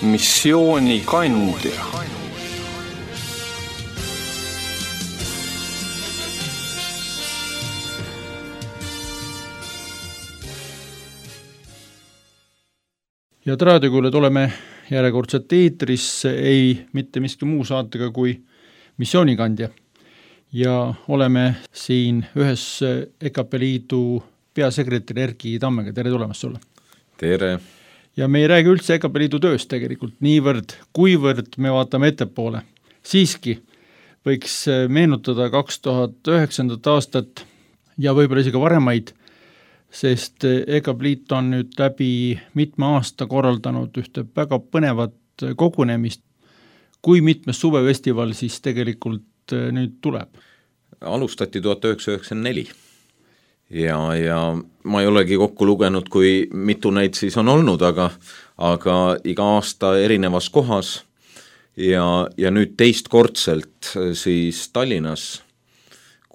missioonikandja. Ja raadiokuulajad, oleme järjekordselt eetris, ei mitte miski muu saatega kui missioonikandja. Ja oleme siin ühes EKP Liidu peasekretäri Erki Tammega. Tere tulemast sulle! Tere! Ja me ei räägi üldse EKP Liidu tööst tegelikult niivõrd, kuivõrd me vaatame ettepoole. Siiski võiks meenutada 2009. aastat ja võib-olla isegi varemaid, sest EKP Liit on nüüd läbi mitme aasta korraldanud ühte väga põnevat kogunemist. Kui mitmes suvefestival siis tegelikult nüüd tuleb? Alustati 1994 ja ma ei olegi kokku lugenud, kui mitu neid siis on olnud, aga iga aasta erinevas kohas ja nüüd teistkordselt siis Tallinnas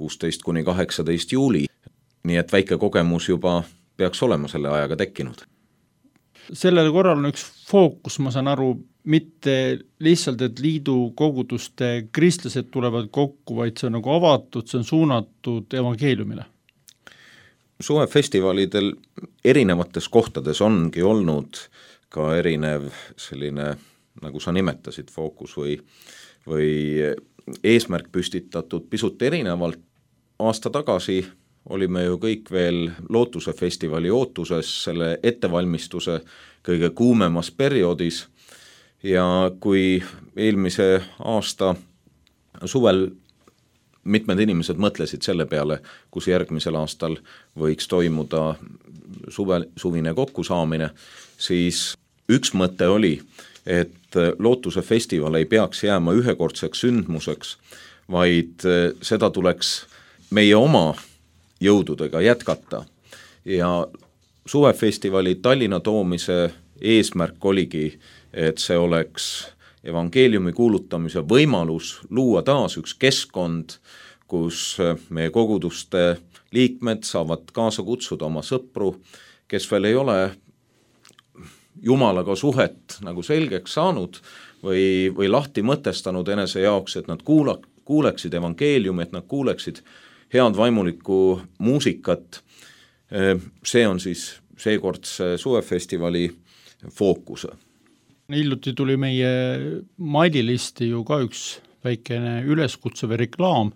16–18 juuli. Nii et väike kogemus juba peaks olema selle ajaga tekkinud. Sellel korral on üks fookus, ma saan aru, mitte lihtsalt, et liidu koguduste kristlased tulevad kokku, vaid see on nagu avatud, see on suunatud evangeeliumile. Suvefestivalidel erinevates kohtades ongi olnud ka erinev selline, nagu sa nimetasid, fookus või eesmärk püstitatud pisut erinevalt. Aasta tagasi olime ju kõik veel Lootuse festivali ootuses, selle ettevalmistuse kõige kuumemas perioodis ja kui eelmise aasta suvel mitmed inimesed mõtlesid selle peale, kus järgmisel aastal võiks toimuda suvine kokkusaamine, siis üks mõte oli, et Lootuse festival ei peaks jääma ühekordseks sündmuseks, vaid seda tuleks meie oma jõududega jätkata. Ja suvefestivali Tallinna toomise eesmärk oligi, et see oleks evangeeliumi kuulutamise võimalus luua taas üks keskkond, kus meie koguduste liikmed saavad kaasa kutsuda oma sõpru, kes veel ei ole Jumalaga suhet nagu selgeks saanud või lahti mõtestanud enese jaoks, et nad kuuleksid evangeeliumi, et nad kuuleksid head vaimulikku muusikat. See on siis seekordse suvefestivali fookus. Hiljuti tuli meie maililisti ju ka üks väikene üleskutse või reklaam,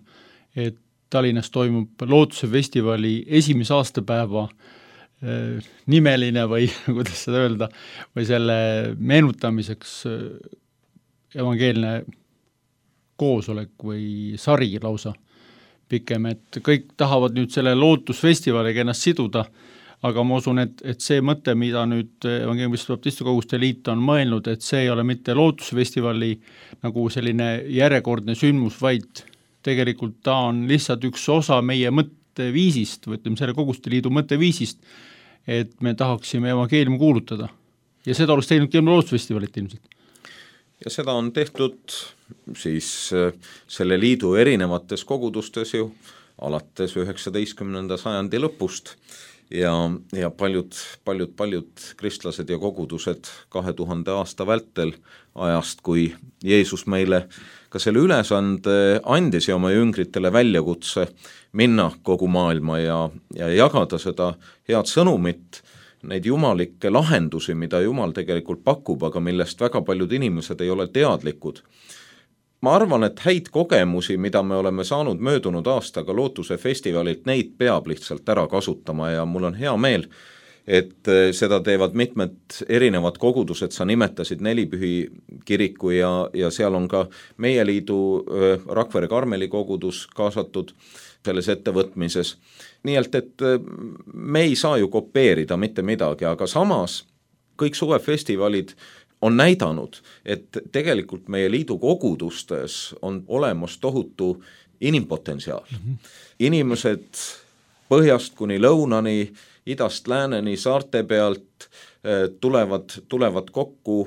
et Tallinnas toimub Lootuse festivali esimese aastapäeva nimeline või kuidas seda öelda, või selle meenutamiseks evangeelne koosolek või sari lausa pikem, et kõik tahavad nüüd selle Lootusfestivaliga ennast siduda, aga ma usun, et see mõte, mida nüüd Evangeeliste Baptiste Koguduste Liit on mõelnud, et see ei ole mitte Lootusfestivali nagu selline järjekordne sündmus, vaid tegelikult ta on lihtsalt üks osa meie mõtteviisist, või ütleme selle Koguduste Liidu mõtteviisist, et me tahaksime evangeeliumi kuulutada. Ja seda oleks teinud Lootusfestivalit ilmselt. Ja seda on tehtud siis selle liidu erinevates kogudustes ju alates 19. sajandi lõpust ja paljud kristlased ja kogudused 2000 aasta vältel ajast, kui Jeesus meile ka selle ülesande andis ja oma jüngritele väljakutse minna kogu maailma ja jagada seda head sõnumit, neid jumalikke lahendusi, mida Jumal tegelikult pakub, aga millest väga paljud inimesed ei ole teadlikud. Ma arvan, et häid kogemusi, mida me oleme saanud möödunud aastaga Lootuse festivalilt, neid peab lihtsalt ära kasutama ja mul on hea meel, et seda teevad mitmed erinevad kogudused, sa nimetasid Nelipühi kiriku ja seal on ka meie liidu Rakvere Karmeli kogudus kaasatud selles ettevõtmises. Nii et me ei saa ju kopeerida mitte midagi, aga samas kõik suvefestivalid on näidanud, et tegelikult meie liidu kogudustes on olemas tohutu inimpotentsiaal. Inimesed põhjast kuni lõunani, idast lääneni, saarte pealt tulevad kokku,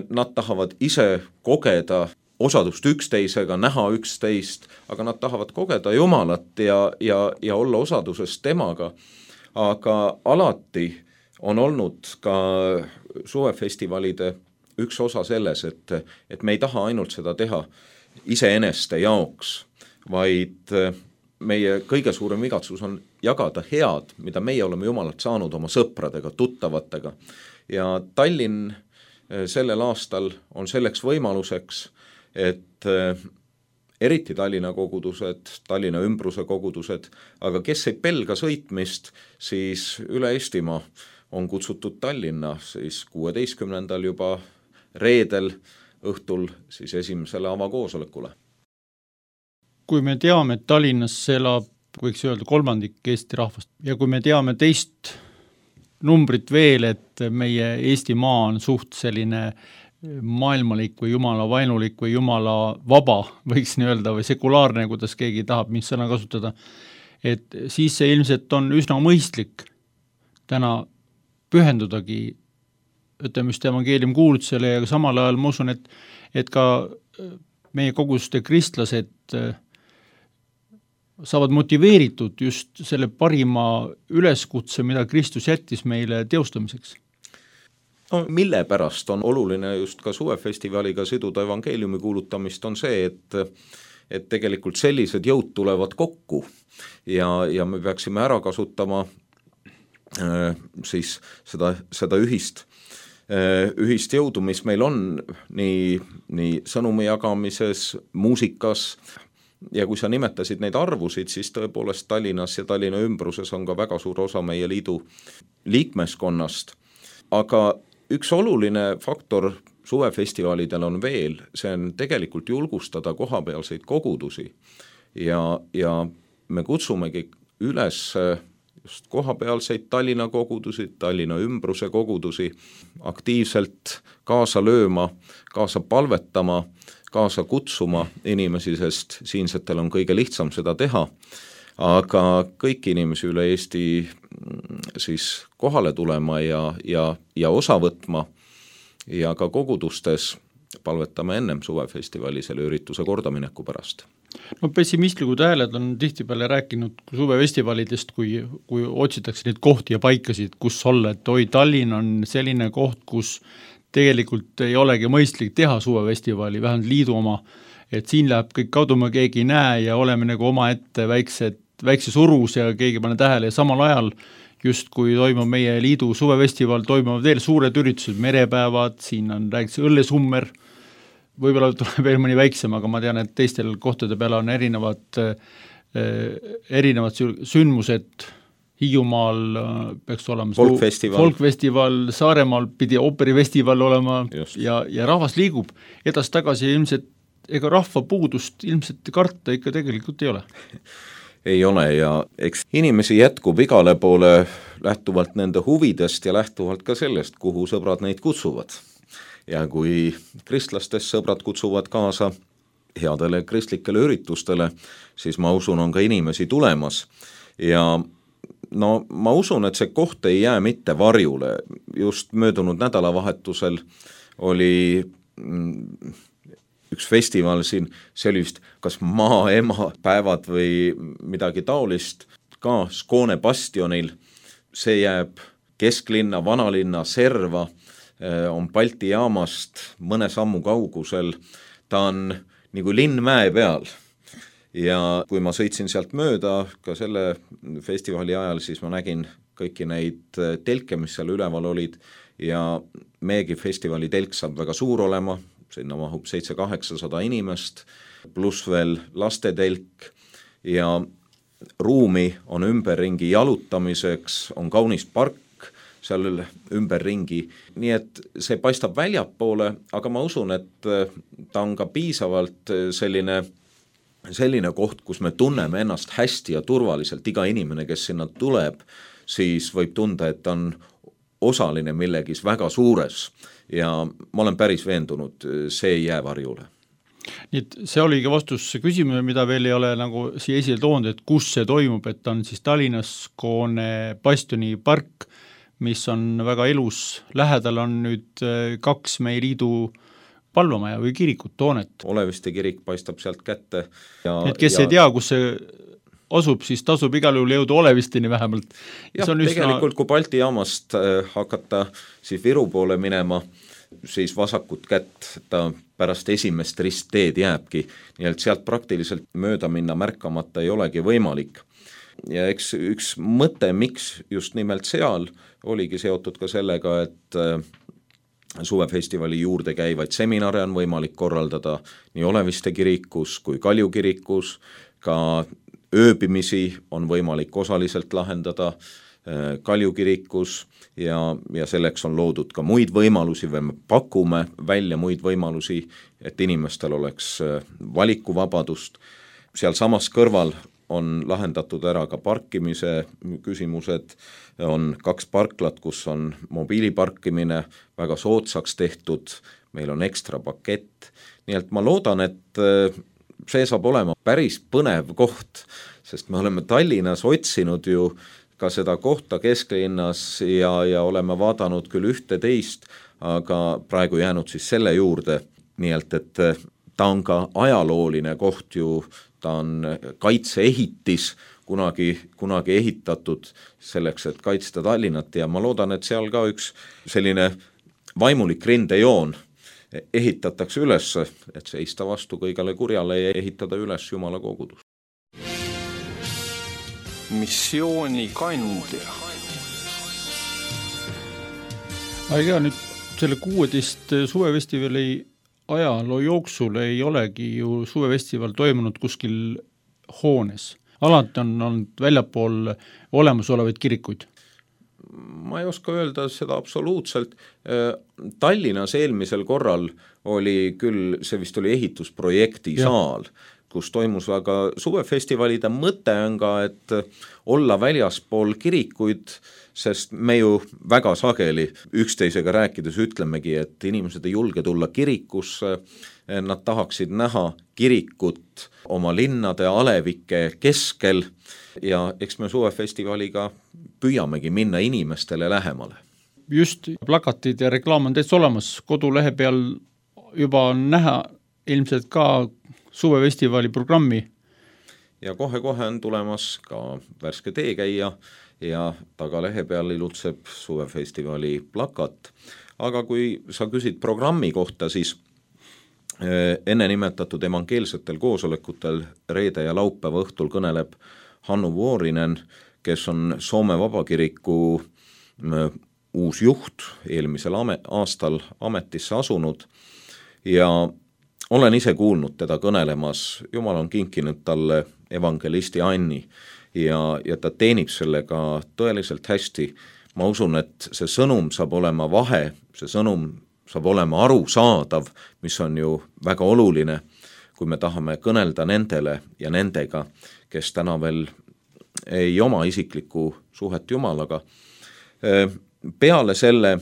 nad tahavad ise kogeda osadust üksteisega, näha üksteist, aga nad tahavad kogeda Jumalat ja olla osaduses temaga. Aga alati on olnud ka suvefestivalide üks osa selles, et me ei taha ainult seda teha iseeneste jaoks, vaid meie kõige suurem igatsus on jagada head, mida meie oleme Jumalalt saanud oma sõpradega, tuttavatega. Ja Tallinn sellel aastal on selleks võimaluseks, et eriti Tallinna kogudused, Tallinna ümbruse kogudused, aga kes ei pelga sõitmist, siis üle Eestimaa on kutsutud Tallinna siis 16. juba reedel õhtul siis esimesele avakoosolekule. Kui me teame, et Tallinnas elab, võiks öelda, 1/3 Eesti rahvast ja kui me teame teist numbrit veel, et meie Eestimaa on suht selline maailmalik või jumala vaenulik või jumala vaba, võiks nii öelda, või sekulaarne, kuidas keegi tahab mis sõna kasutada, et siis see ilmselt on üsna mõistlik täna pühendudagi, ütleme just evangeelium kuulutusele ja samal ajal ma usun, et ka meie koguste kristlased saavad motiveeritud just selle parima üleskutse, mida Kristus jättis meile teostamiseks. No, mille pärast on oluline just ka suvefestivaliga siduda evangeeliumi kuulutamist, on see, et tegelikult sellised jõud tulevad kokku ja me peaksime ära kasutama siis seda ühist jõudu, mis meil on nii sõnumi jagamises, muusikas, ja kui sa nimetasid neid arvusid, siis tõepoolest Tallinnas ja Tallinna ümbruses on ka väga suur osa meie liidu liikmeskonnast, aga üks oluline faktor suvefestivalidel on veel, see on tegelikult julgustada kohapealseid kogudusi ja me kutsumegi üles just kohapealseid Tallinna kogudusi, Tallinna ümbruse kogudusi aktiivselt kaasa lööma, kaasa palvetama, kaasa kutsuma inimesi, sest siinsetel on kõige lihtsam seda teha, aga kõiki inimesi üle Eesti siis kohale tulema ja osa võtma ja ka kogudustes palvetame ennem suvefestivali selle ürituse kordamineku pärast. No pessimistlikud hääled on tihtipeale rääkinud suvefestivalidest, kui otsitakse neid kohti ja paikasid, kus olla, et Tallinn on selline koht, kus tegelikult ei olegi mõistlik teha suvefestivali, vähemalt liidu oma, et siin läheb kõik kaduma, keegi ei näe ja oleme nagu oma ette väikse surus ja keegi pane tähele ja samal ajal just kui toimub meie liidu suvefestival, toimuvad veel suured üritused, merepäevad, siin on räägitakse õllesummer, võib-olla tuleb veel mõni väiksem, aga ma tean, et teistel kohtade peale on erinevad sündmused, Hiiumaal peaks olema folkfestival, Saaremaal pidi ooperifestival olema ja rahvas liigub edasi-tagasi ja ilmselt ega rahva puudust ilmselt karta ikka tegelikult ei ole. Ei ole ja eks inimesi jätkub igale poole lähtuvalt nende huvidest ja lähtuvalt ka sellest, kuhu sõbrad neid kutsuvad. Ja kui kristlastest sõbrad kutsuvad kaasa headele kristlikele üritustele, siis ma usun, on ka inimesi tulemas ja no ma usun, et see koht ei jää mitte varjule. Just möödunud nädalavahetusel oli üks festival siin, see oli vist kas maaema päevad või midagi taolist, ka Skoone bastionil, see jääb kesklinna, vanalinna serva, on Balti jaamast mõne sammu kaugusel, ta on nagu linn mäe peal. Ja kui ma sõitsin sealt mööda ka selle festivali ajal, siis ma nägin kõiki neid telke, mis seal üleval olid ja meiegi festivali telk saab väga suur olema, sinna mahub 700-800 inimest, pluss veel lastetelk ja ruumi on ümberringi jalutamiseks, on kaunis park seal ümberringi, nii et see paistab väljapoole, aga ma usun, et ta on ka piisavalt selline koht, kus me tunneme ennast hästi ja turvaliselt, iga inimene, kes sinna tuleb, siis võib tunda, et ta on osaline millegis väga suures ja ma olen päris veendunud, see ei jää varjule. Nii et see oligi vastus küsimus, mida veel ei ole nagu siia esile toonud, et kus see toimub, et on siis Tallinnas Skoone bastioni park, mis on väga elus, lähedal on nüüd 2 meie liidu palvamaja või kirikut, toonet. Oleviste kirik paistab sealt kätte. Et kes ei tea, kus see asub, siis tasub igal juhul jõuda Olevisteni vähemalt. Jah, tegelikult kui Balti jaamast hakata siis Viru poole minema, siis vasakut kätt ta pärast esimest ristteed jääbki, nii et sealt praktiliselt mööda minna märkamata ei olegi võimalik. Ja eks üks mõte, miks just nimelt seal, oligi seotud ka sellega, et suvefestivali juurde käivaid seminare on võimalik korraldada nii Oleviste kirikus kui Kalju kirikus, ka ööbimisi on võimalik osaliselt lahendada Kalju kirikus ja selleks on loodud ka muid võimalusi või me pakume välja muid võimalusi, et inimestel oleks valikuvabadust. Seal samas kõrval on lahendatud ära ka parkimise küsimused, on 2 parklat, kus on mobiiliparkimine väga soodsaks tehtud, meil on ekstra pakett, nii et ma loodan, et see saab olema päris põnev koht, sest me oleme Tallinnas otsinud ju ka seda kohta kesklinnas ja oleme vaadanud küll ühte teist, aga praegu jäänud siis selle juurde, nii et ta on ka ajalooline koht ju, ta on kaitseehitis, kunagi ehitatud selleks, et kaitsta Tallinnat ja ma loodan, et seal ka üks selline vaimulik rindejoon ehitatakse üles, et seista vastu kõigele kurjale ja ehitada üles Jumala kogudus. Missiooni kandja. Aga nüüd selle 16 suvefestivali ajaloo jooksul ei olegi ju suvefestival toimunud kuskil hoones. Alati on olnud väljapool olemasolevaid kirikuid. Ma ei oska öelda seda absoluutselt. Tallinnas eelmisel korral oli küll, see vist oli ehitusprojekti saal, kus toimus aga suvefestivalide mõte on ka, et olla väljaspool kirikuid, sest me ju väga sageli üksteisega rääkides ütlemegi, et inimesed ei julge tulla kirikusse, nad tahaksid näha kirikut oma linnade alevike keskel ja eks me suvefestivaliga püüamegi minna inimestele lähemale. Just plakatid ja reklaam on täitsa olemas, kodulehe peal juba on näha ilmselt ka suvefestivali programmi. Ja kohe-kohe on tulemas ka värske teekäija ja tagalehe peal ilutseb suvefestivali plakat. Aga kui sa küsid programmi kohta, siis enne nimetatud evangeelsetel koosolekutel reede ja laupäeva õhtul kõneleb Hannu Vuorinen, kes on Soome Vabakiriku uus juht, eelmisel aastal ametisse asunud ja olen ise kuulnud teda kõnelemas, Jumal on kinkinud talle evangelisti Anni ja ta teenib sellega tõeliselt hästi. Ma usun, et see sõnum saab olema vahe, see sõnum saab olema arusaadav, mis on ju väga oluline, kui me tahame kõnelda nendele ja nendega, kes täna veel ei oma isiklikku suhet Jumalaga. Peale selle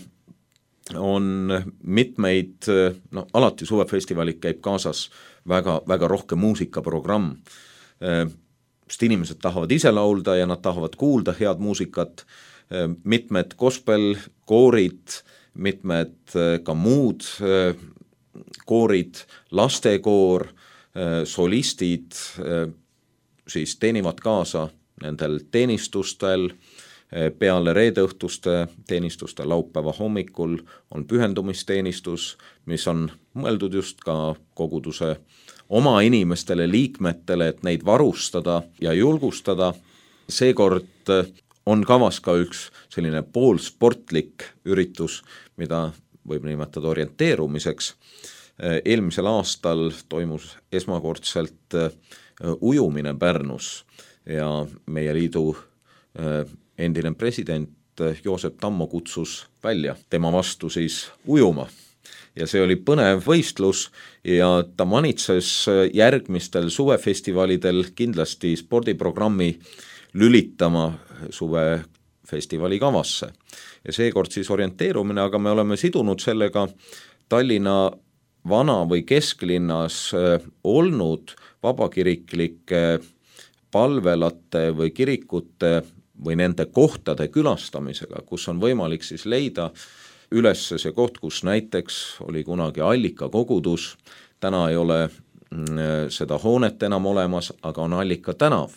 on mitmeid, alati suvefestivalik käib kaasas väga, väga rohke muusikaprogramm, sest inimesed tahavad ise laulda ja nad tahavad kuulda head muusikat, mitmed gospelkoorid, mitmed ka muud koorid, lastekoor, solistid siis teenivad kaasa nendel teenistustel, peale reedeõhtuste teenistuste laupäeva hommikul on pühendumisteenistus, mis on mõeldud just ka koguduse oma inimestele, liikmetele, et neid varustada ja julgustada. Seekord on kavas ka üks selline poolsportlik üritus, mida võib nimetada orienteerumiseks. Eelmisel aastal toimus esmakordselt ujumine Pärnus ja meie liidu endine president Joosep Tammo kutsus välja tema vastu siis ujuma. Ja see oli põnev võistlus ja ta manitses järgmistel suvefestivalidel kindlasti spordiprogrammi lülitama suvefestivali kavasse. Ja seekord siis orienteerumine, aga me oleme sidunud sellega Tallinna vana või kesklinnas olnud vabakiriklike palvelate või kirikute või nende kohtade külastamisega, kus on võimalik siis leida üles see koht, kus näiteks oli kunagi Allika kogudus, täna ei ole seda hoonet enam olemas, aga on Allika tänav.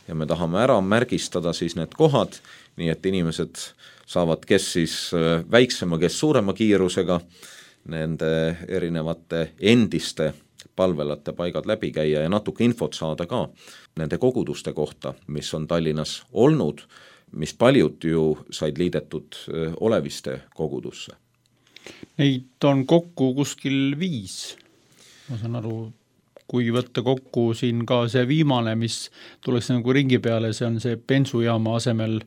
Ja me tahame ära märgistada siis need kohad, nii et inimesed saavad kes siis väiksema, kes suurema kiirusega nende erinevate endiste palvelate paigad läbi käia ja natuke infot saada ka nende koguduste kohta, mis on Tallinnas olnud, mis paljud ju said liidetud Oleviste kogudusse. Neid on kokku kuskil 5, ma saan aru, kui võtta kokku siin ka see viimane, mis tuleks nagu ringi peale, see on see bensujaama asemel,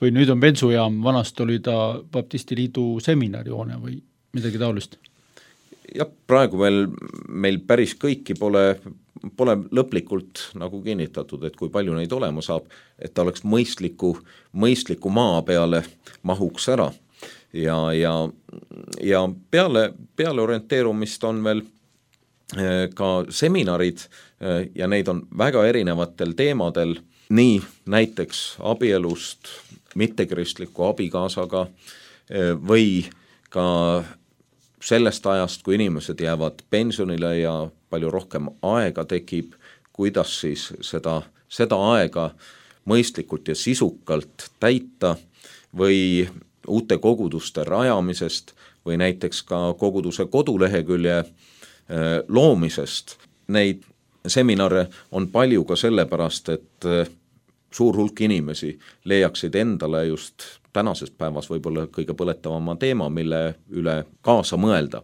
või nüüd on bensujaam, vanast oli ta Baptisti Liidu seminarihoone või midagi taolist? Jah, praegu veel meil päris kõiki pole lõplikult nagu kinnitatud, et kui palju neid olema saab, et ta oleks mõistliku maa peale mahuks ära ja peale orienteerumist on veel ka seminarid ja neid on väga erinevatel teemadel, nii näiteks abielust mittekristliku abikaasaga või ka sellest ajast, kui inimesed jäävad pensionile ja palju rohkem aega tekib, kuidas siis seda aega mõistlikult ja sisukalt täita või uute koguduste rajamisest või näiteks ka koguduse kodulehekülje loomisest. Neid seminare on palju ka sellepärast, et suur hulk inimesi leiaksid endale just tänases päevas võib-olla kõige põletavama teema, mille üle kaasa mõelda.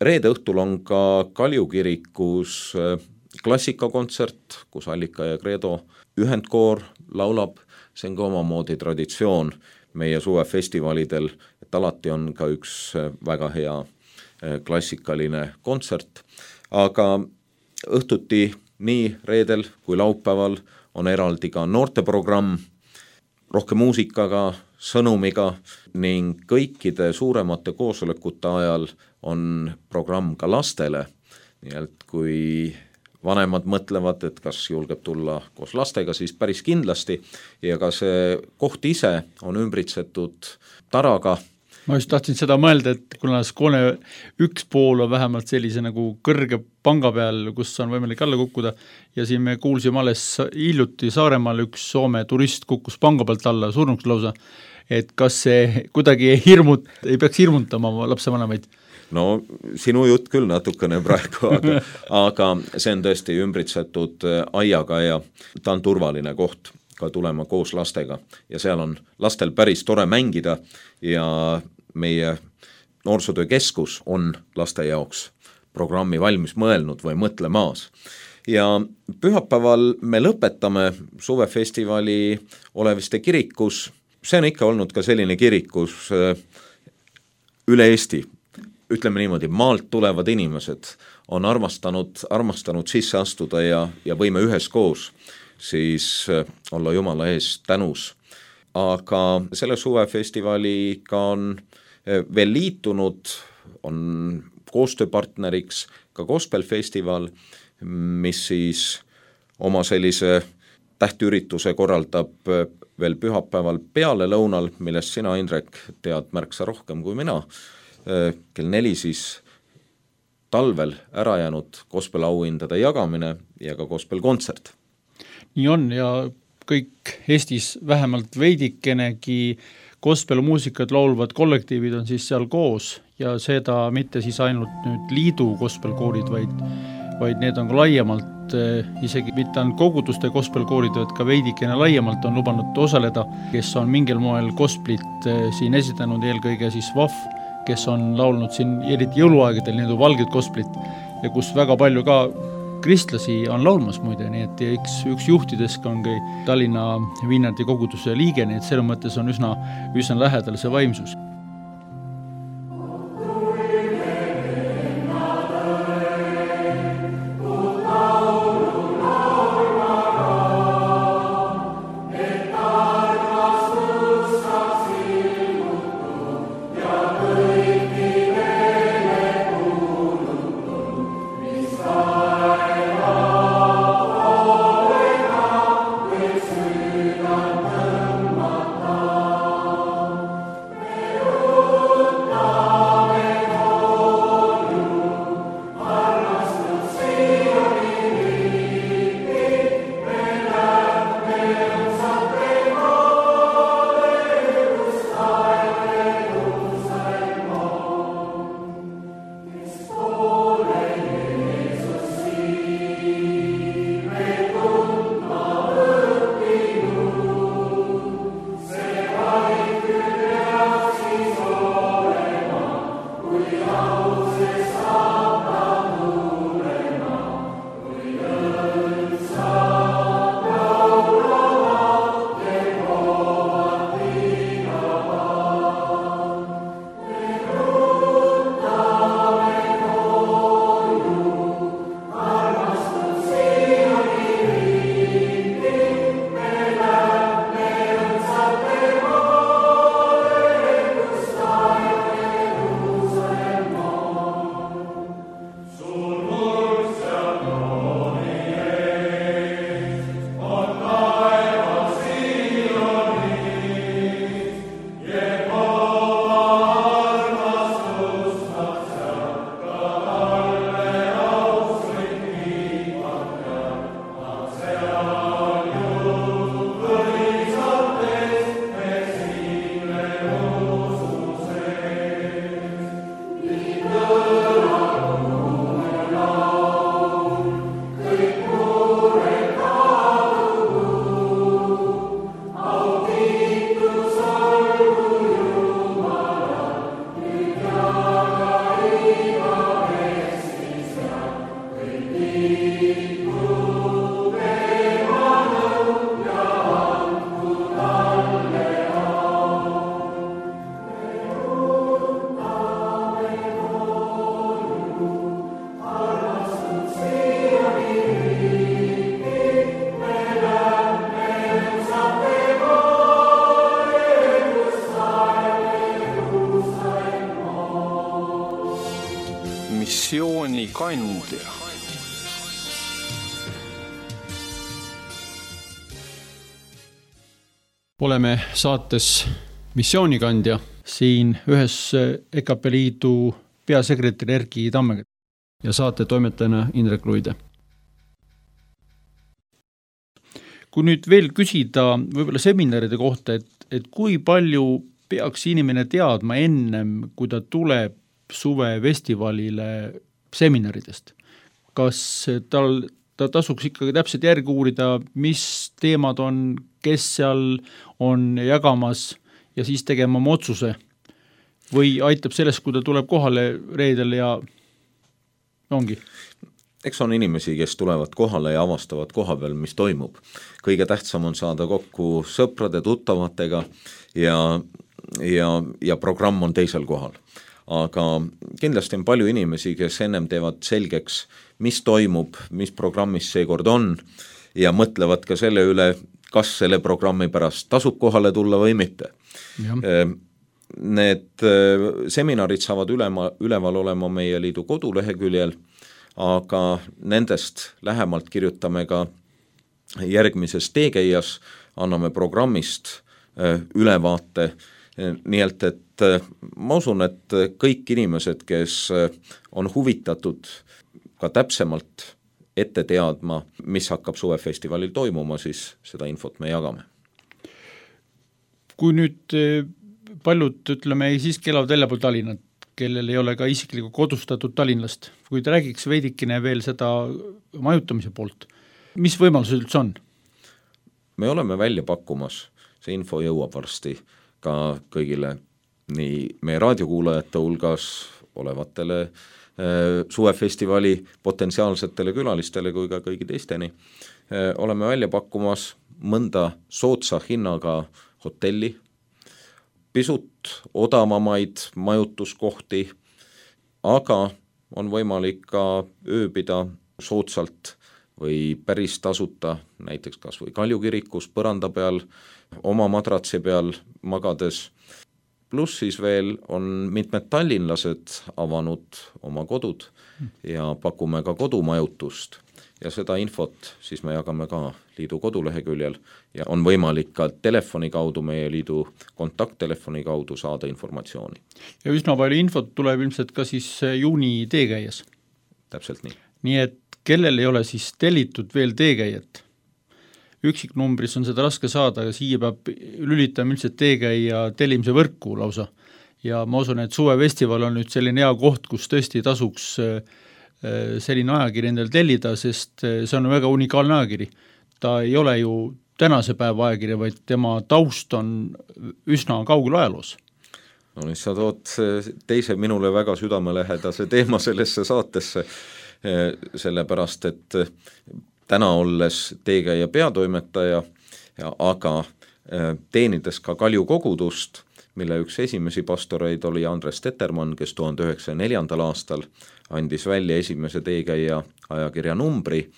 Reede õhtul on ka Kalju kirikus klassikakontsert, kus Allika ja Credo ühendkoor laulab, see on ka omamoodi traditsioon meie suvefestivalidel, et alati on ka üks väga hea klassikaline kontsert, aga õhtuti nii reedel kui laupäeval on eraldi ka noorteprogramm, rohkem muusikaga, sõnumiga ning kõikide suuremate koosolekute ajal on programm ka lastele, nii et kui vanemad mõtlevad, et kas julgeb tulla koos lastega, siis päris kindlasti ja ka see koht ise on ümbritsetud taraga. Ma just tahtsin seda mõelda, et kuna skoone üks pool on vähemalt sellise nagu kõrge panga peal, kus on võimalik alla kukkuda ja siin me kuulsime alles hiljuti Saaremaal üks Soome turist kukkus panga pealt alla surnuks lausa, et kas see kuidagi ei peaks hirmutama lapsevanemaid? No sinu jutt küll natukene praegu, aga see on tõesti ümbritsetud aiaga ja ta on turvaline koht ka tulema koos lastega ja seal on lastel päris tore mängida ja meie noorsootöökeskus on laste jaoks programmi valmis mõelnud või mõtlemaas. Ja pühapäeval me lõpetame suvefestivali Oleviste kirikus, see on ikka olnud ka selline kirikus üle Eesti, ütleme niimoodi, maalt tulevad inimesed on armastanud sisse astuda ja võime üheskoos siis olla Jumala ees tänus. Aga selle suvefestivaliga on veel liitunud, on koostööpartneriks ka gospelfestival, mis siis oma sellise tähtürituse korraldab veel pühapäeval peale lõunal, millest sina, Indrek, tead märksa rohkem kui mina. Kell 4 siis talvel ära jäänud gospelauhindade jagamine ja ka gospelkontsert. Nii on ja kõik Eestis vähemalt veidikenegi gospelmuusikat laulvad kollektiivid on siis seal koos ja seda mitte siis ainult nüüd liidu gospelkoorid, vaid need on ka laiemalt, isegi mitte ainult koguduste gospelkoorid, vaid ka veidikene laiemalt on lubanud osaleda, kes on mingil moel gosplit siin esitanud, eelkõige siis VAF, kes on laulnud siin eriti jõuluaegadel nii valged gosplit ja kus väga palju ka kristlasi on laulmas muide, nii et üks juhtidesk on Tallinna Viinardi koguduse liige, nii et selle mõttes on üsna lähedal see vaimsus. kandja. Oleme saates Missioonikandja siin ühes EKP Liidu peasekretäri Erki Tammega ja saate toimetajana Indrek Luide. Kui nüüd veel küsida võib-olla seminaride kohta, et kui palju peaks inimene teadma ennem, kui ta tuleb suvefestivalile seminaridest? Kas ta tasuks ikkagi täpselt järgi uurida, mis teemad on, kes seal on jagamas ja siis tegema oma otsuse? Või aitab sellest, kui ta tuleb kohale reedel ja ongi? Eks on inimesi, kes tulevad kohale ja avastavad koha peal, mis toimub. Kõige tähtsam on saada kokku sõprade, tuttavatega ja programm on teisel kohal. Aga kindlasti on palju inimesi, kes ennem teevad selgeks, mis toimub, mis programmis seekord on ja mõtlevad ka selle üle, kas selle programmi pärast tasub kohale tulla või mitte. Need seminarid saavad üleval olema meie liidu koduleheküljel, aga nendest lähemalt kirjutame ka järgmises teekäijas, anname programmist ülevaate, nii et ma usun, et kõik inimesed, kes on huvitatud ka täpsemalt ette teadma, mis hakkab suvefestivalil toimuma, siis seda infot me jagame. Kui nüüd paljud, ütleme, siiski elavad väljapool Tallinnat, kellel ei ole ka isiklikult kodustatud Tallinnast, kui ta räägiks veidikene veel seda majutamise poolt, mis võimalused üldse on? Me oleme välja pakkumas, see info jõuab varsti ka kõigile nii meie raadiokuulajate hulgas olevatele suvefestivali potentsiaalsetele külalistele kui ka kõigi teisteni. Oleme välja pakkumas mõnda soodsa hinnaga hotelli, pisut odavamaid majutuskohti, aga on võimalik ka ööbida soodsalt või päris tasuta, näiteks kas või Kalju kirikus põranda peal, oma madratsi peal magades. Pluss siis veel on mitmed tallinlased avanud oma kodud ja pakume ka kodumajutust. Ja seda infot siis me jagame ka liidu koduleheküljel ja on võimalik ka telefoni kaudu, meie liidu kontakttelefoni kaudu saada informatsiooni. Ja üsna palju infot tuleb ilmselt ka siis juuni teekäies. Täpselt nii. Nii et kellel ei ole siis tellitud veel teekäijat? Üksiknumbris on seda raske saada, aga siia peab lülitama ilmselt teekäija tellimise võrku lausa. Ja ma usun, et suvefestival on nüüd selline hea koht, kus tõesti tasuks selline ajakiri endale tellida, sest see on väga unikaalne ajakiri. Ta ei ole ju tänase päeva ajakiri, vaid tema taust on üsna kaugel ajaloos. No nüüd sa tood teise minule väga südamelähedase teema sellesse saatesse, sellepärast, et täna olles teekäija peatoimetaja, aga teenides ka Kalju kogudust, mille üks esimesi pastoreid oli Andres Tettermann, kes 1904. aastal andis välja esimese teekäija ajakirja numbri,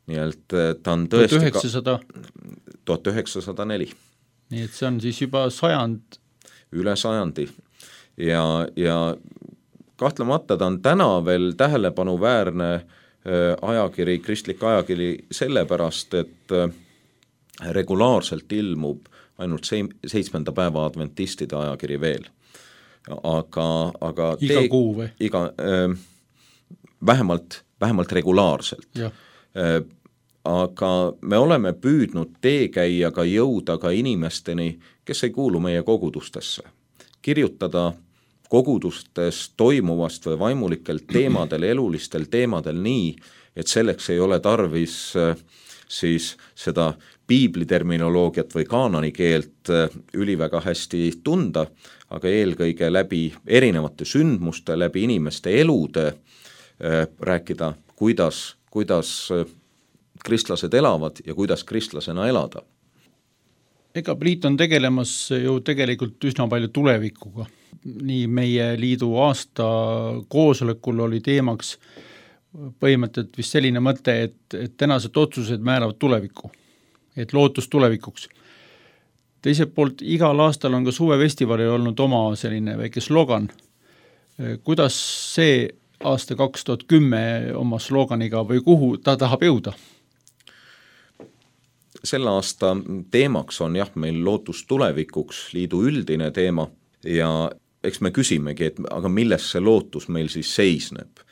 nii et ta on tõesti 1904. Nii et see on siis juba sajand. Üle sajandi ja kahtlemata ta on täna veel tähelepanuväärne ajakiri, kristlik ajakiri sellepärast, et regulaarselt ilmub ainult 7. päeva adventistide ajakiri veel. Aga iga kuu või? Vähemalt regulaarselt. Aga me oleme püüdnud teekäijaga jõuda ka inimesteni, kes ei kuulu meie kogudustesse. Kirjutada kogudustes toimuvast või vaimulikel teemadel, elulistel teemadel nii, et selleks ei ole tarvis siis seda piibliterminoloogiat või kaanonikeelt üliväga hästi tunda, aga eelkõige läbi erinevate sündmuste, läbi inimeste elude rääkida, kuidas kristlased elavad ja kuidas kristlasena elada. EKP Liit on tegelemas ju tegelikult üsna palju tulevikuga. Nii meie liidu aasta koosolekul oli teemaks põhimõtteliselt vist selline mõte, et tänased otsused määravad tulevikku, et lootus tulevikuks. Teiselt poolt igal aastal on ka suvefestivalil olnud oma selline väike slogan. Kuidas see aasta 2010 oma slooganiga või kuhu ta tahab jõuda? Selle aasta teemaks on jah, meil lootus tulevikuks, liidu üldine teema ja eks me küsimegi, et aga milles see lootus meil siis seisneb.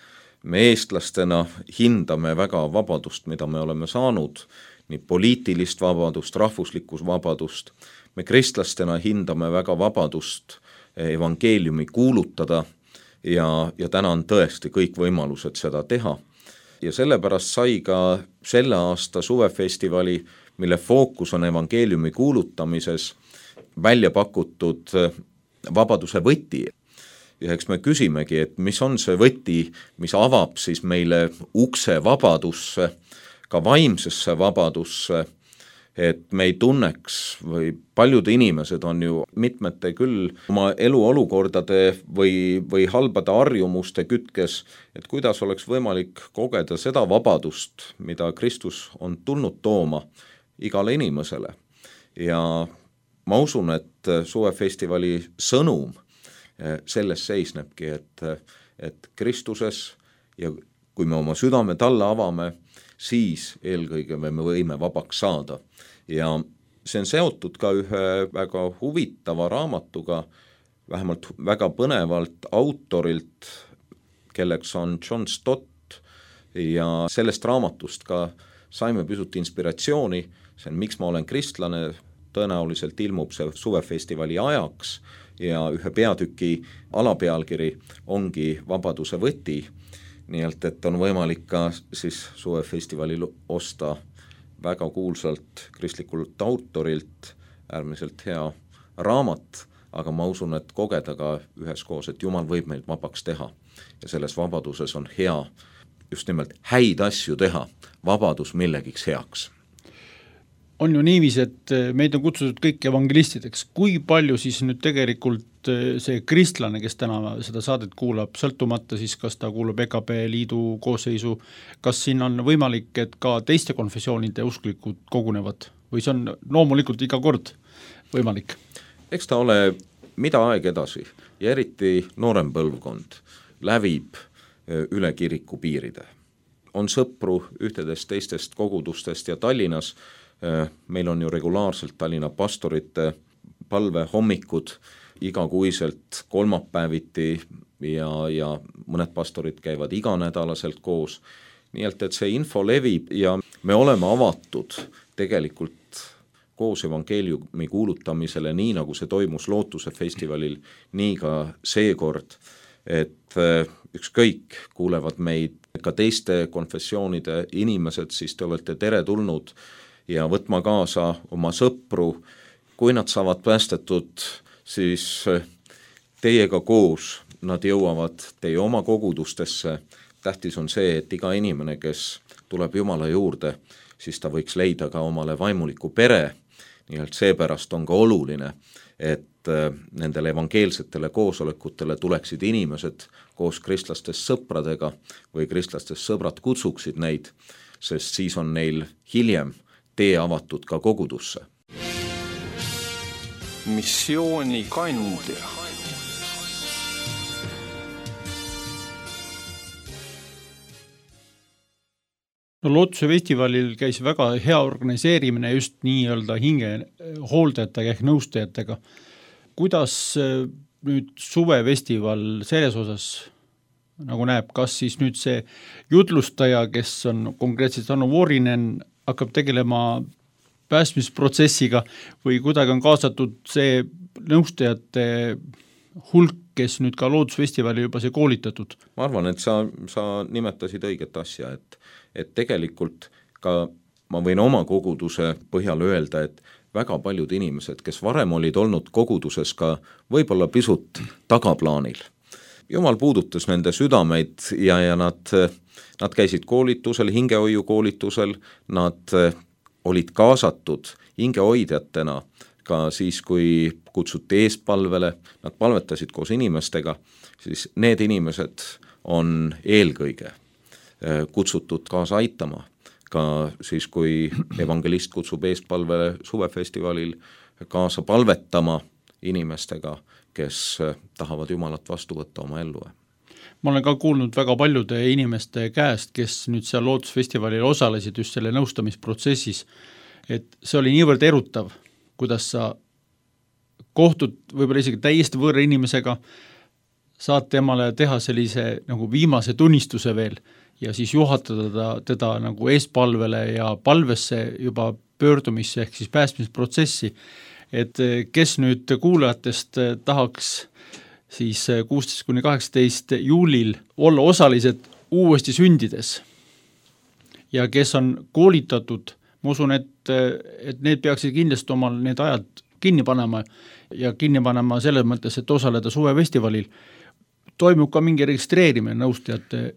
Me eestlastena hindame väga vabadust, mida me oleme saanud, nii poliitilist vabadust, rahvuslikkus vabadust. Me kristlastena hindame väga vabadust evangeeliumi kuulutada ja täna on tõesti kõik võimalused seda teha. Ja sellepärast sai ka selle aasta suvefestivali, mille fookus on evangeeliumi kuulutamises, välja pakutud vabaduse võti. Ja eks me küsimegi, et mis on see võti, mis avab siis meile ukse vabadusse, ka vaimsesse vabadusse, et me ei tunneks või paljud inimesed on ju mitmete küll oma eluolukordade või halbade harjumuste kütkes, et kuidas oleks võimalik kogeda seda vabadust, mida Kristus on tulnud tooma igale inimesele. Ja ma usun, et suvefestivali sõnum selles seisnebki, et Kristuses ja kui me oma südame talle avame, siis eelkõige me võime vabaks saada. Ja see on seotud ka ühe väga huvitava raamatuga, vähemalt väga põnevalt autorilt, kelleks on John Stott ja sellest raamatust ka saime pisut inspiratsiooni, see on Miks ma olen kristlane, tõenäoliselt ilmub see suvefestivali ajaks ja ühe peatüki alapealkiri ongi Vabaduse võti, nii et on võimalik ka siis suvefestivalil osta väga kuulsalt kristlikult autorilt äärmiselt hea raamat, aga ma usun, et kogeda ka üheskoos, et Jumal võib meid vabaks teha ja selles vabaduses on hea just nimelt häid asju teha, vabadus millegiks heaks. On ju niiviisi, et meid on kutsutud kõik evangelistideks. Kui palju siis nüüd tegelikult see kristlane, kes täna seda saadet kuulab, sõltumata siis, kas ta kuulub EKP liidu koosseisu, kas siin on võimalik, et ka teiste konfessioonide usklikud kogunevad või see on loomulikult iga kord võimalik? Eks ta ole mida aeg edasi ja eriti noorem põlvkond lävib üle kiriku piiride. On sõpru ühtedest teistest kogudustest ja Tallinnas meil on ju regulaarselt Tallinna pastorite palvehommikud igakuiselt kolmapäeviti ja mõned pastorid käivad iganädalaselt koos. Nii et see info levib ja me oleme avatud tegelikult koos evangeeliumi kuulutamisele, nii nagu see toimus Lootuse festivalil, nii ka seekord, et ükskõik kuulevad meid ka teiste konfessioonide inimesed, siis te olete teretulnud ja võtma kaasa oma sõpru, kui nad saavad päästetud, siis teiega koos nad jõuavad teie oma kogudustesse. Tähtis on see, et iga inimene, kes tuleb Jumala juurde, siis ta võiks leida ka omale vaimuliku pere, nii et seepärast on ka oluline, et nendele evangeelsetele koosolekutele tuleksid inimesed koos kristlastest sõpradega või kristlastest sõbrad kutsuksid neid, sest siis on neil hiljem tee avatud ka kogudusse. Missioonikandja. No Lootuse festivalil käis väga hea organiseerimine just nii-öelda hinge hooldajatega ehk nõustajatega. Kuidas nüüd suvefestival selles osas nagu näeb, kas siis nüüd see jutlustaja, kes on konkreetselt Anu Vuorinen, hakkab tegelema päästmisprotsessiga või kuidagi on kaasatud see nõustajate hulk, kes nüüd ka Loodusfestivali juba see koolitatud? Ma arvan, et sa nimetasid õiget asja, et tegelikult ka ma võin oma koguduse põhjal öelda, et väga paljud inimesed, kes varem olid olnud koguduses ka võib-olla pisut tagaplaanil. Jumal puudutas nende südameid ja nad käisid koolitusel, hingehoiu koolitusel, nad olid kaasatud hingehoidjatena ka siis, kui kutsuti eespalvele, nad palvetasid koos inimestega, siis need inimesed on eelkõige kutsutud kaasa aitama, ka siis, kui evangelist kutsub eespalvele suvefestivalil kaasa palvetama inimestega, kes tahavad Jumalat vastu võtta oma ellu. ma olen ka kuulnud väga paljude inimeste käest, kes nüüd seal Lootusfestivalil osalesid just selle nõustamisprotsessis, et see oli niivõrd erutav, kuidas sa kohtud võib-olla isegi täiesti võõra inimesega, saad temale teha sellise nagu viimase tunnistuse veel ja siis juhatada teda nagu eespalvele ja palvesse juba pöördumisse ehk siis päästmisprotsessi, et kes nüüd kuulajatest tahaks siis 16-18 juulil olla osalised uuesti sündides ja kes on koolitatud, ma usun, et need peaksid kindlasti omal need ajad kinni panema ja kinni panema selles mõttes, et osaleda suvefestivalil, toimub ka mingi registreerimine nõustajate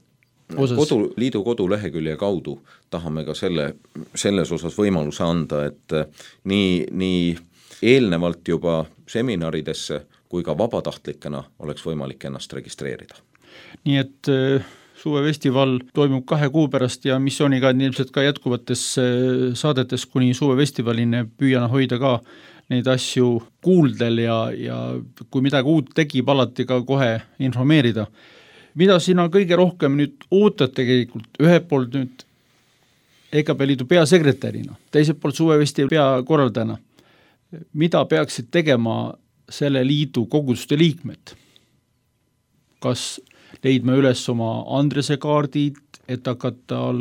osas. Liidu kodulehekülje kaudu tahame ka selles osas võimaluse anda, et nii eelnevalt juba seminaridesse kui ka vabatahtlikena oleks võimalik ennast registreerida. Nii et suvefestival toimub 2 kuu pärast ja missiooniga ilmselt ka jätkuvates saadetes kuni suvefestivalini püüan hoida ka neid asju kuuldel ja kui midagi uut tegib, alati ka kohe informeerida. Mida sina kõige rohkem nüüd ootad tegelikult, ühelt poolt nüüd EKP Liidu peasekretärina, teiselt poolt suvefestivali peakorraldajana, mida peaksid tegema selle liidu koguduste liikmed? Kas leidma üles oma Andrese kaardid, et hakata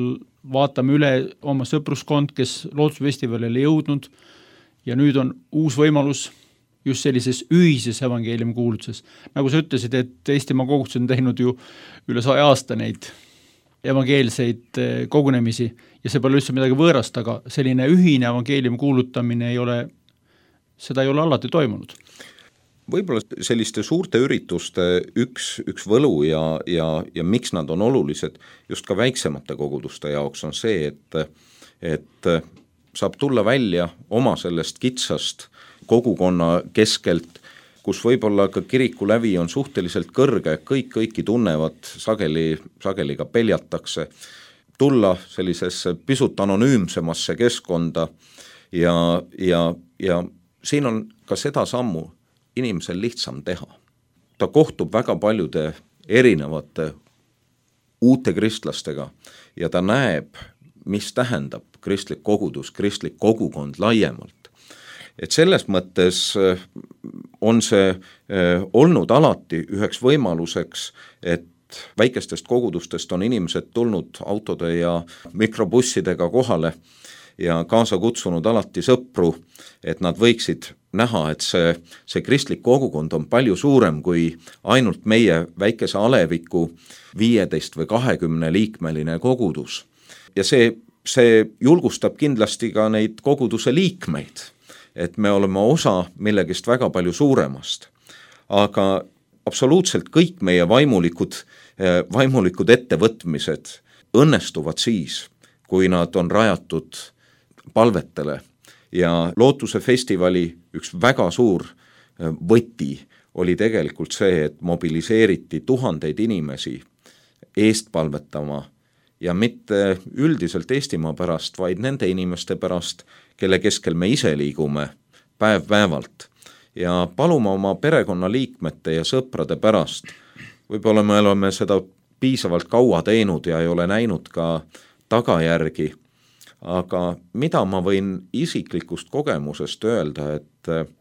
vaatame üle oma sõpruskond, kes Lootusfestivalile jõudnud ja nüüd on uus võimalus just sellises ühises evangeeliumi kuulutuses. Nagu sa ütlesid, et Eestimaa kogudused on teinud ju üle 100 aasta neid evangeelseid kogunemisi ja see pole üldse midagi võõrast, aga selline ühine evangeeliumi kuulutamine seda ei ole alati toimunud. Võib-olla selliste suurte ürituste üks võlu ja miks nad on olulised just ka väiksemate koguduste jaoks on see, et saab tulla välja oma sellest kitsast kogukonna keskelt, kus võib-olla ka kiriku lävi on suhteliselt kõrge, kõiki tunnevad, sageli ka peljatakse, tulla sellisesse pisut anonüümsemasse keskkonda ja siin on ka seda sammu inimesel lihtsam teha. Ta kohtub väga paljude erinevate uute kristlastega ja ta näeb, mis tähendab kristlik kogudus, kristlik kogukond laiemalt. Et selles mõttes on see olnud alati üheks võimaluseks, et väikestest kogudustest on inimesed tulnud autode ja mikrobussidega kohale ja kaasa kutsunud alati sõpru, et nad võiksid näha, et see kristlik kogukond on palju suurem kui ainult meie väikese aleviku 15 või 20 liikmeline kogudus. Ja see julgustab kindlasti ka neid koguduse liikmeid, et me oleme osa millegist väga palju suuremast. Aga absoluutselt kõik meie vaimulikud ettevõtmised õnnestuvad siis, kui nad on rajatud palvetele ja Lootuse festivali üks väga suur võti oli tegelikult see, et mobiliseeriti tuhandeid inimesi eest palvetama ja mitte üldiselt Eestimaa pärast, vaid nende inimeste pärast, kelle keskel me ise liigume päev-päevalt ja palume oma perekonnaliikmete ja sõprade pärast. Võib-olla me oleme seda piisavalt kaua teinud ja ei ole näinud ka tagajärgi, aga mida ma võin isiklikust kogemusest öelda, et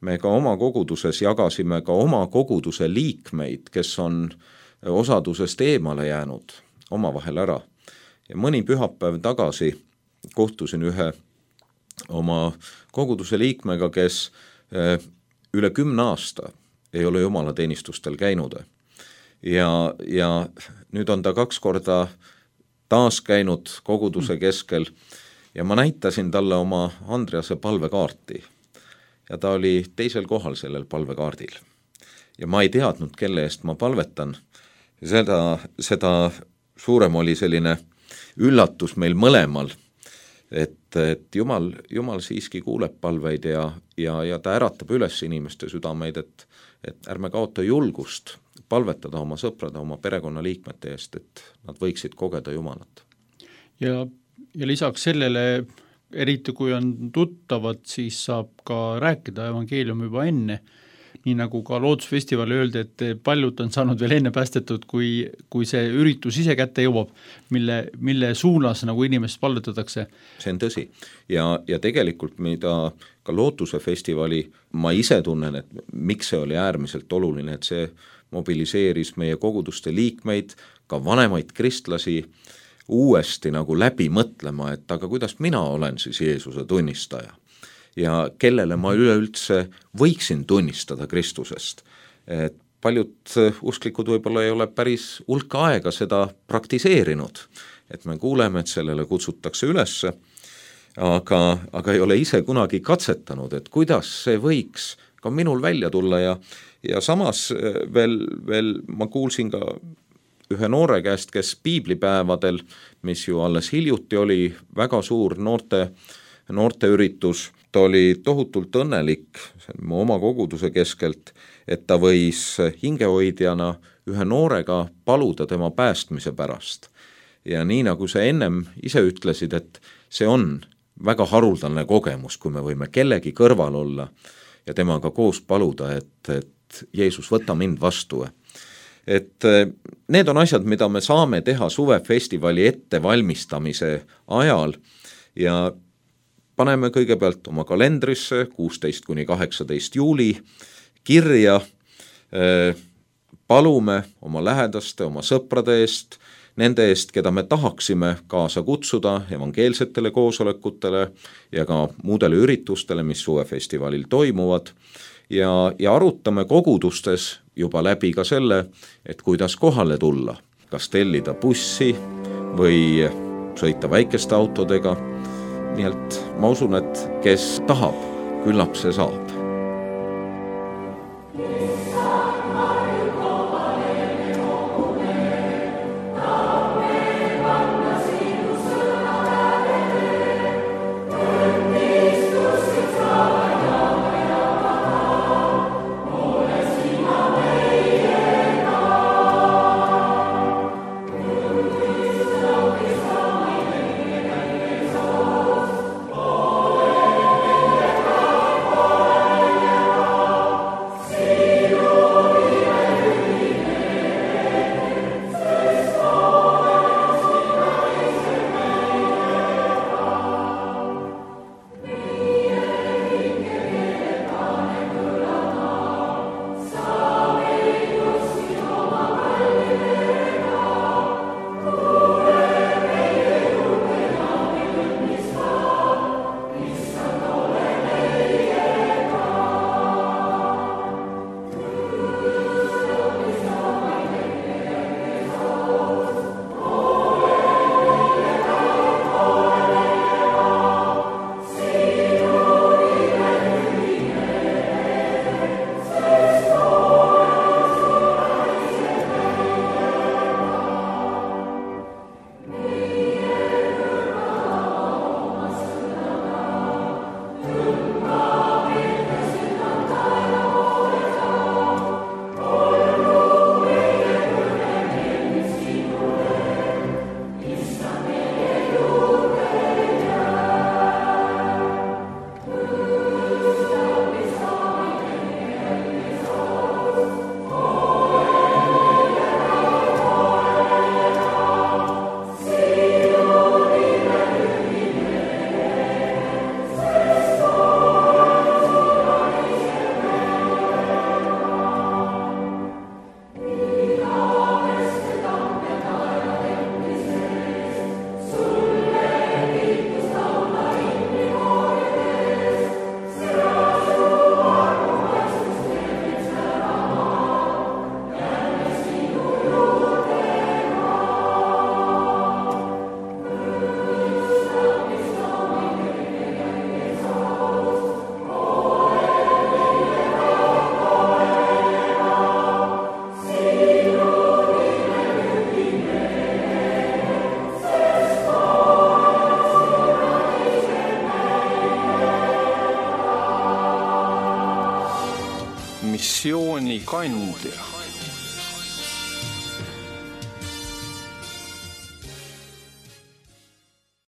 me ka oma koguduses jagasime ka oma koguduse liikmeid, kes on osadusest eemale jäänud omavahel ära. Ja mõni pühapäev tagasi kohtusin ühe oma koguduse liikmega, kes üle 10 aasta ei ole jumalateenistustel käinud. Ja nüüd on ta 2 korda taas käinud koguduse keskel ja ma näitasin talle oma Andrease palvekaarti ja ta oli 2. kohal sellel palvekaardil. Ja ma ei teadnud, kelle eest ma palvetan. Seda suurem oli selline üllatus meil mõlemal, et Jumal siiski kuuleb palveid ja ta äratab üles inimeste südameid, et ärme kaota julgust palvetada oma sõprade, oma perekonnaliikmete eest, et nad võiksid kogeda Jumalat. Ja lisaks sellele, eriti kui on tuttavad, siis saab ka rääkida evangeelium juba enne nii nagu ka loodusfestivali öeldi, et paljud on saanud veel enne päästetud, kui see üritus ise kätte jõuab, mille suunas nagu inimest pallutatakse. See on tõsi ja tegelikult mida ka Lootuse festivali ma ise tunnen, et miks see oli äärmiselt oluline, et see mobiliseeris meie koguduste liikmeid, ka vanemaid kristlasi uuesti nagu läbi mõtlema, et aga kuidas mina olen siis Jeesuse tunnistaja ja kellele ma üleüldse võiksin tunnistada Kristusest. Et paljud usklikud võib-olla ei ole päris hulka aega seda praktiseerinud, et me kuuleme, et sellele kutsutakse üles, aga ei ole ise kunagi katsetanud, et kuidas see võiks ka minul välja tulla ja samas veel ma kuulsin ka ühe noore käest, kes piiblipäevadel, mis ju alles hiljuti oli väga suur noorte üritus, ta oli tohutult õnnelik mu oma koguduse keskelt, et ta võis hingehoidjana ühe noorega paluda tema päästmise pärast. Ja nii nagu sa ennem ise ütlesid, et see on väga haruldane kogemus, kui me võime kellegi kõrval olla ja temaga koos paluda, et Jeesus, võta mind vastu. Et need on asjad, mida me saame teha suvefestivali ettevalmistamise ajal ja paneme kõigepealt oma kalendrisse 16–18 juuli kirja, palume oma lähedaste, oma sõprade eest, nende eest, keda me tahaksime kaasa kutsuda evangeelsetele koosolekutele ja ka muudele üritustele, mis suvefestivalil toimuvad ja arutame kogudustes juba läbi ka selle, et kuidas kohale tulla, kas tellida bussi või sõita väikeste autodega. Nii et ma usun, et kes tahab, küllap see saab. missioonikandja.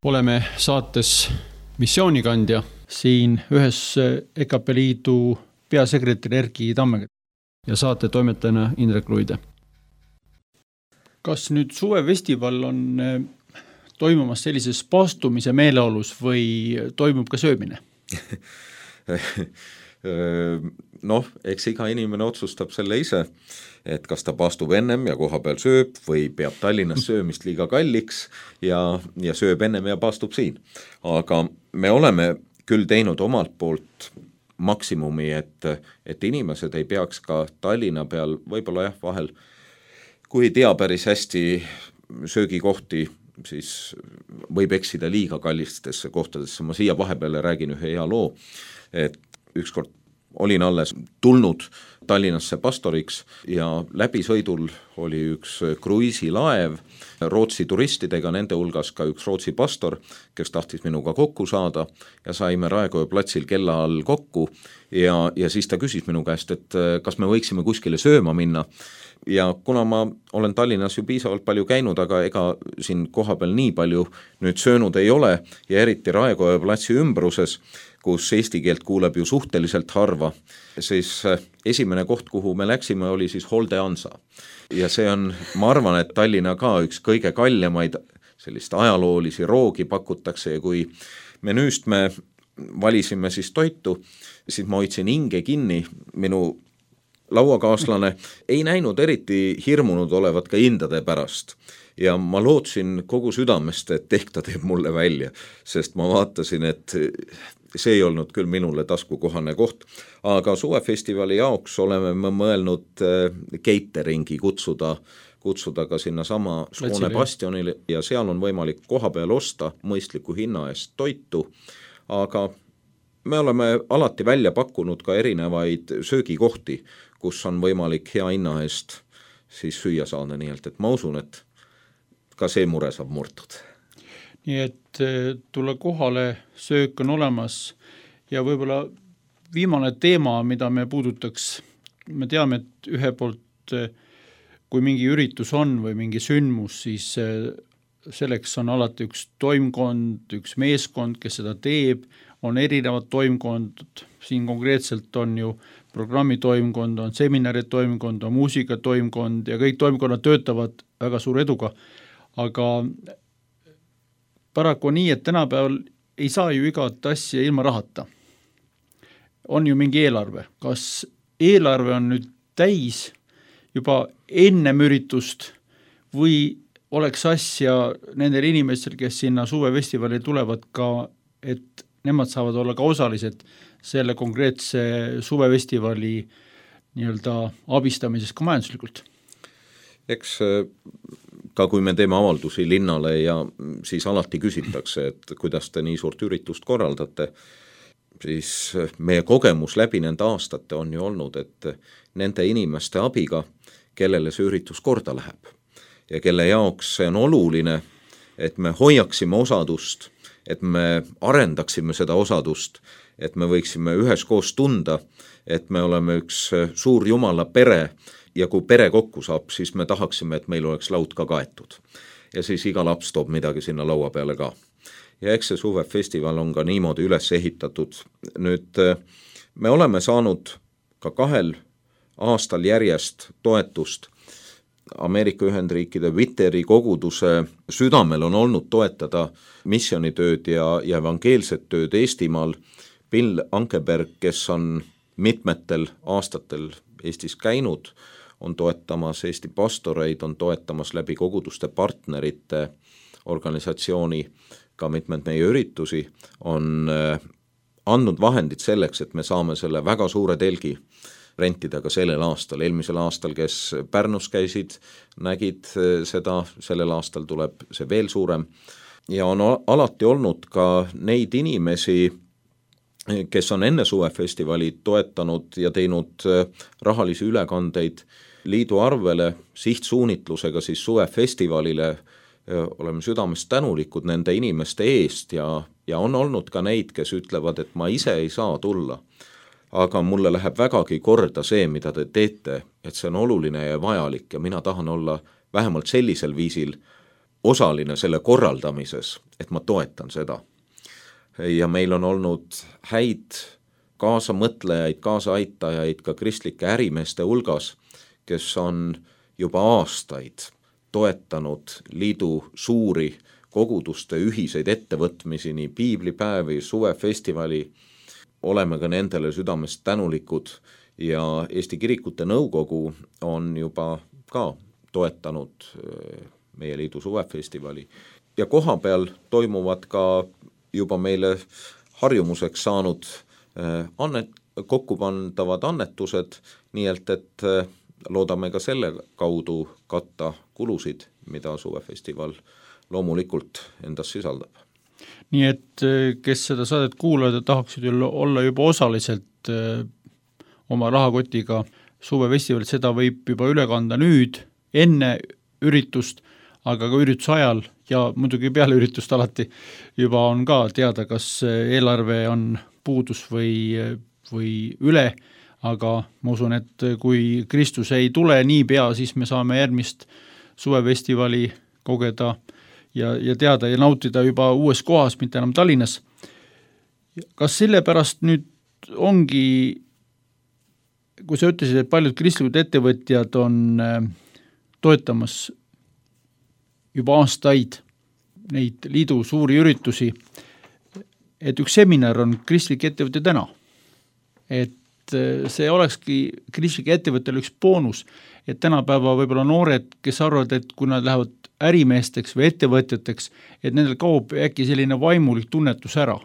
Oleme saates Missioonikandja siin ühes EKP Liidu peasekretär Erki Tammega ja saate toimetajana Indrek Luide. Kas nüüd suvefestival on toimumas sellises paastumise meeleolus või toimub ka söömine? Noh, eks iga inimene otsustab selle ise, et kas ta paastub ennem ja koha peal sööb või peab Tallinnas söömist liiga kalliks ja sööb ennem ja paastub siin. Aga me oleme küll teinud omalt poolt maksimumi, et inimesed ei peaks ka Tallinna peal võib-olla vahel, kui ei tea päris hästi söögikohti, siis võib eksida liiga kallistesse kohtadesse. Ma siia vahepeale räägin ühe hea loo, et ükskord olin alles tulnud Tallinnasse pastoriks ja läbisõidul oli üks kruiisilaev Rootsi turistidega, nende hulgas ka üks Rootsi pastor, kes tahtis minuga kokku saada ja saime Raekoja platsil kella all kokku ja siis ta küsis minu käest, et kas me võiksime kuskile sööma minna. Ja kuna ma olen Tallinnas ju piisavalt palju käinud, aga ega siin kohapeal nii palju nüüd söönud ei ole ja eriti Raekoja platsi ümbruses, kus eesti keelt kuuleb ju suhteliselt harva, siis esimene koht, kuhu me läksime, oli siis Holde Hansa. Ja see on, ma arvan, et Tallinna ka üks kõige kaljamaid sellist ajaloolisi roogi pakutakse ja kui menüüst me valisime siis toitu, siis ma hoidsin hinge kinni, minu lauakaaslane ei näinud eriti hirmunud olevat ka hindade pärast ja ma lootsin kogu südamest, et ehk ta teeb mulle välja, sest ma vaatasin, et see ei olnud küll minule taskukohane koht, aga suvefestivali jaoks oleme me mõelnud cateringi kutsuda ka sinna sama Skoone bastionile ja seal on võimalik koha peal osta mõistliku hinna eest toitu, aga me oleme alati välja pakkunud ka erinevaid söögikohti, kus on võimalik hea hinna eest siis süüa saada, nii et ma usun, et ka see mure saab murtud. Nii et tulla kohale, söök on olemas ja võib-olla viimane teema, mida me puudutaks, me teame, et ühe poolt, kui mingi üritus on või mingi sündmus, siis selleks on alati üks toimkond, üks meeskond, kes seda teeb, on erinevad toimkond, siin konkreetselt on ju programmi toimkond, on seminari toimkond, on muusika toimkond ja kõik toimkonnad töötavad väga suure eduga, aga paraku on nii, et tänapäeval ei saa ju igat asja ilma rahata. On ju mingi eelarve. Kas eelarve on nüüd täis juba ennem üritust või oleks asja nendel inimestel, kes sinna suvefestivali tulevad ka, et nemad saavad olla ka osalised selle konkreetse suvefestivali nii-öelda abistamises ka majanduslikult? Eks ka kui me teeme avaldusi linnale ja siis alati küsitakse, et kuidas te nii suurt üritust korraldate, siis meie kogemus läbi nende aastate on ju olnud, et nende inimeste abiga, kellele see üritus korda läheb ja kelle jaoks see on oluline, et me hoiaksime osadust, et me arendaksime seda osadust, et me võiksime üheskoos tunda, et me oleme üks suur Jumala pere ja kui pere kokku saab, siis me tahaksime, et meil oleks laud ka kaetud. Ja siis iga laps toob midagi sinna laua peale ka. Ja eks see suvefestival on ka niimoodi üles ehitatud. Nüüd me oleme saanud ka 2 aastal järjest toetust. Ameerika Ühendriikide Witteri koguduse südamel on olnud toetada missioonitööd ja evangeelset tööd Eestimaal. Bill Ankeberg, kes on mitmetel aastatel Eestis käinud, on toetamas Eesti pastoreid, on toetamas läbi koguduste partnerite organisatsiooni ka mitmed meie üritusi, on andnud vahendid selleks, et me saame selle väga suure telgi rentida ka sellel aastal. Eelmisel aastal, kes Pärnus käisid, nägid seda, sellel aastal tuleb see veel suurem. Ja on alati olnud ka neid inimesi, kes on enne suvefestivali toetanud ja teinud rahalisi ülekandeid liidu arvele sihtsuunitlusega siis suvefestivalile. Oleme südamest tänulikud nende inimeste eest ja on olnud ka neid, kes ütlevad, et ma ise ei saa tulla. Aga mulle läheb vägagi korda see, mida te teete, et see on oluline ja vajalik ja mina tahan olla vähemalt sellisel viisil osaline selle korraldamises, et ma toetan seda. Ja meil on olnud häid kaasamõtlejaid, kaasaaitajaid ka kristlike ärimeeste hulgas, kes on juba aastaid toetanud liidu suuri koguduste ühiseid ettevõtmisi, nii piiblipäevi, suvefestivali, oleme ka nendele südamest tänulikud ja Eesti Kirikute Nõukogu on juba ka toetanud meie liidu suvefestivali ja koha peal toimuvad ka juba meile harjumuseks saanud kokkupandavad annetused, nii et loodame ka selle kaudu katta kulusid, mida suvefestival loomulikult endas sisaldab. Nii et kes seda saadet kuulavad ja tahaksid olla juba osaliselt oma rahakotiga suvefestivalit, seda võib juba üle kanda nüüd, enne üritust, aga ka ürituse ajal ja muidugi peale üritust alati juba on ka teada, kas eelarve on puudus või üle, aga ma usun, et kui Kristus ei tule niipea, siis me saame järgmist suvefestivali kogeda ja teada ja nautida juba uues kohas, mitte enam Tallinnas. Kas sellepärast nüüd ongi, kui sa ütlesid, et paljud kristlikud ettevõtjad on toetamas juba aastaid neid liidu suuri üritusi, et üks seminar on kristlik ettevõte täna. Et see olekski kristlike ettevõttele üks boonus, et tänapäeva võib-olla noored, kes arvavad, et kui nad lähevad ärimeesteks või ettevõtjateks, et nendel kaob äkki selline vaimulik tunnetus ära.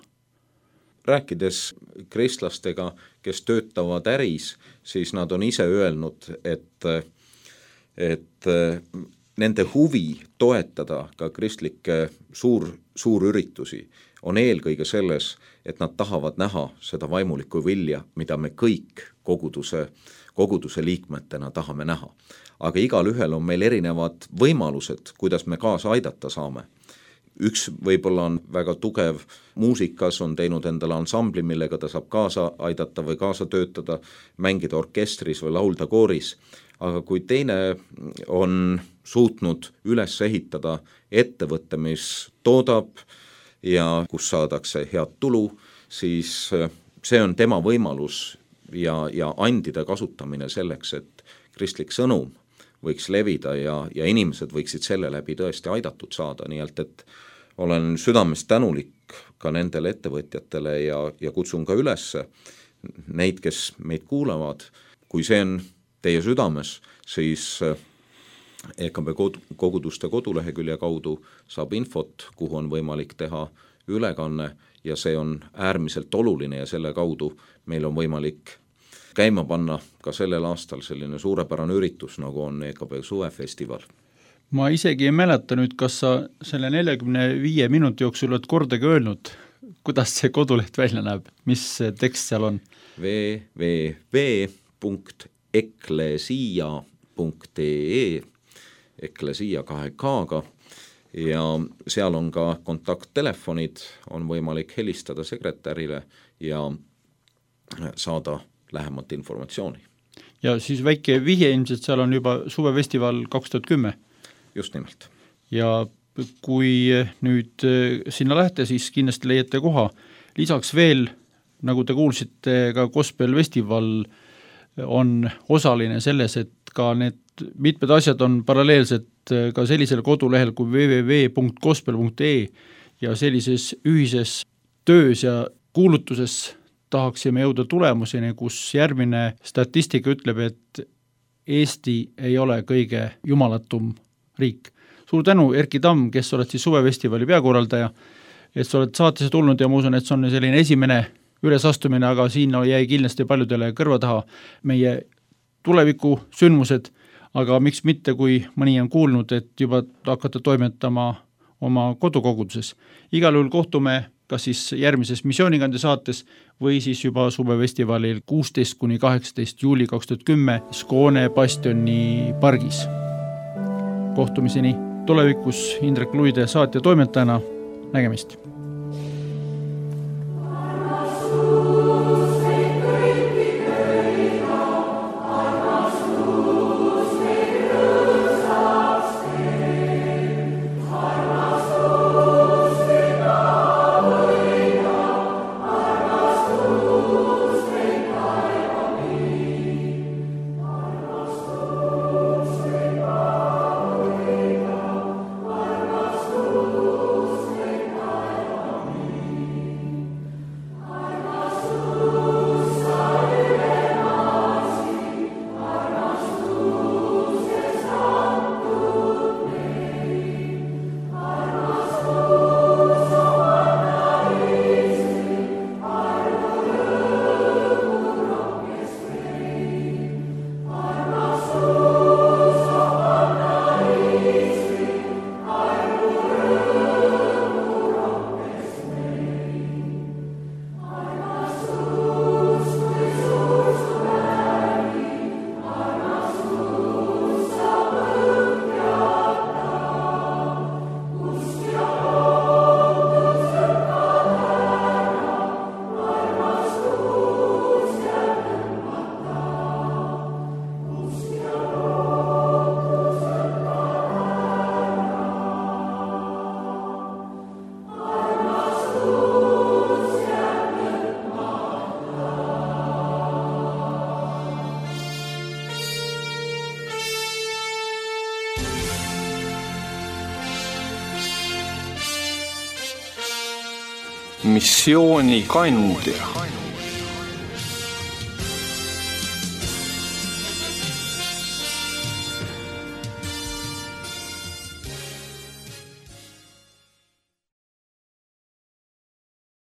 Rääkides kristlastega, kes töötavad äris, siis nad on ise öelnud, et nende huvi toetada ka kristlikke suurüritusi on eelkõige selles, et nad tahavad näha seda vaimulikku vilja, mida me kõik koguduse liikmetena tahame näha. Aga igal ühel on meil erinevad võimalused, kuidas me kaasa aidata saame. Üks võib-olla on väga tugev muusikas, on teinud endale ansambli, millega ta saab kaasa aidata või kaasa töötada, mängida orkestris või laulda kooris. Aga kui teine on suutnud üles ehitada ettevõtte, mis toodab ja kus saadakse head tulu, siis see on tema võimalus ja andide kasutamine selleks, et kristlik sõnum võiks levida ja inimesed võiksid selle läbi tõesti aidatud saada, nii et olen südamest tänulik ka nendele ettevõtjatele ja kutsun ka üles neid, kes meid kuulavad, kui see on teie südames, siis EKB koguduste kodulehekülje kaudu saab infot, kuhu on võimalik teha ülekanne ja see on äärmiselt oluline ja selle kaudu meil on võimalik käima panna ka sellel aastal selline suurepärane üritus, nagu on EKB suvefestival. Ma isegi ei mäleta nüüd, kas sa selle 45 minuti jooksul oled kordagi öelnud, kuidas see koduleht välja näeb, mis tekst seal on? www.eklesia.ee Eklesia 2K-ga ja seal on ka kontakttelefonid, on võimalik helistada sekretärile ja saada lähemat informatsiooni. Ja siis väike vihje ilmselt seal on juba suvefestival 2010. Just nimelt. Ja kui nüüd sinna lähete, siis kindlasti leiate koha. Lisaks veel, nagu te kuulsite, ka Gospel Festival on osaline selles, et ka need mitmed asjad on paralleelselt ka sellisel kodulehel kui www.gospel.ee ja sellises ühises töös ja kuulutuses tahaksime jõuda tulemuseni, kus järgmine statistika ütleb, et Eesti ei ole kõige jumalatum riik. Suur tänu, Erki Tamm, kes oled siis suvefestivali peakorraldaja, et sa oled saatesse tulnud ja ma usun, et see on selline esimene ülesastumine, aga siin jäi kindlasti paljudele kõrva taha meie tuleviku sündmused, aga miks mitte, kui mõni on kuulnud, et juba hakata toimetama oma kodukoguduses. Igal juhul kohtume kas siis järgmises missioonikande saates või siis juba suvefestivalil 16–18 juuli 2010 Skåne Bastioni pargis. Kohtumiseni tulevikus Indrek Luide saatja toimetajana, nägemist! missioonikandja.